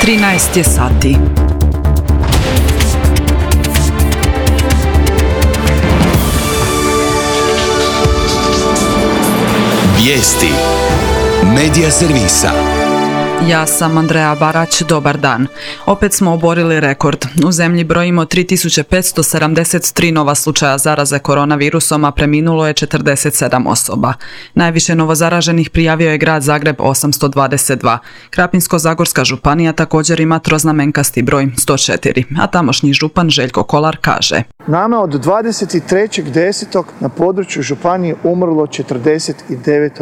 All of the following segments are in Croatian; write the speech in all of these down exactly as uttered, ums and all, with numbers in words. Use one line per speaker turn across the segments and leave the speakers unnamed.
trinaest je sati.
Vijesti Medija servisa.
Ja sam Andreja Barać, dobar dan. Opet smo oborili rekord. U zemlji brojimo tri tisuće petsto sedamdeset tri nova slučaja zaraze koronavirusom, a preminulo je četrdeset sedam osoba. Najviše novozaraženih prijavio je grad Zagreb osamsto dvadeset dva. Krapinsko-zagorska županija također ima troznamenkasti broj sto četiri, a tamošnji župan Željko Kolar kaže:
Nama od dvadeset trećeg desetog na području županije umrlo četrdeset devet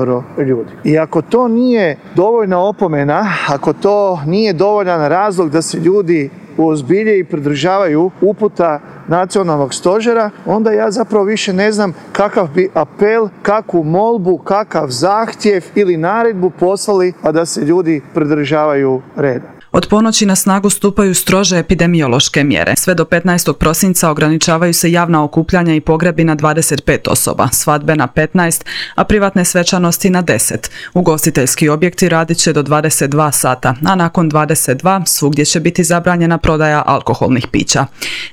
ljudi. I ako to nije dovoljna opomena, ako to nije dovoljan razlog da se ljudi uozbilje i pridržavaju uputa nacionalnog stožera, onda ja zapravo više ne znam kakav bi apel, kakvu molbu, kakav zahtjev ili naredbu poslali, a da se ljudi pridržavaju reda.
Od ponoći na snagu stupaju strože epidemiološke mjere. Sve do petnaestog prosinca ograničavaju se javna okupljanja i pogrebi na dvadeset pet osoba, svadbe na petnaest, a privatne svečanosti na deset. Ugostiteljski objekti radit će do dvadeset dva sata, a nakon dvadeset dva svugdje će biti zabranjena prodaja alkoholnih pića.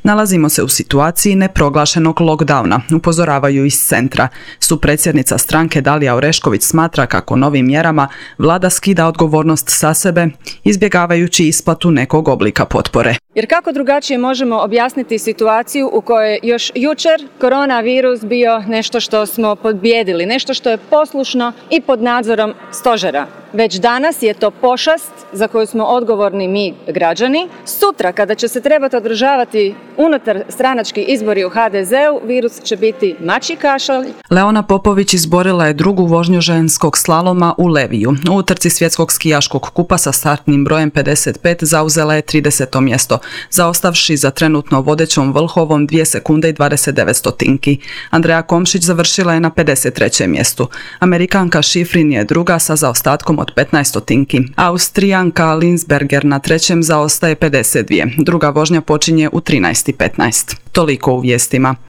Nalazimo se u situaciji neproglašenog lockdowna, upozoravaju iz centra. Supredsjednica stranke Dalija Orešković smatra kako novim mjerama vlada skida odgovornost sa sebe, izbjegavajući isplatu nekog oblika potpore.
Jer kako drugačije možemo objasniti situaciju u kojoj je još jučer koronavirus bio nešto što smo pobijedili, nešto što je poslušno i pod nadzorom stožera. Već danas je to pošast za koju smo odgovorni mi građani. Sutra kada će se trebati održavati unutar stranački izbori u ha de zeu, virus će biti mačji kašalj.
Leona Popović izborila je drugu vožnju ženskog slaloma u Leviju. U utrci svjetskog skijaškog kupa sa startnim brojem pedeset pet zauzela je trideseto mjesto, zaostavši za trenutno vodećom Vlhovom dvije sekunde i dvadeset devet stotinki. Andreja Komšić završila je na pedeset trećem mjestu. Amerikanka Šifrin je druga sa zaostatkom od petnaest stotinki. Austrijanka Linsberger na trećem zaostaje pedeset dvije. Druga vožnja počinje u trinaest i petnaest. Toliko u vijestima.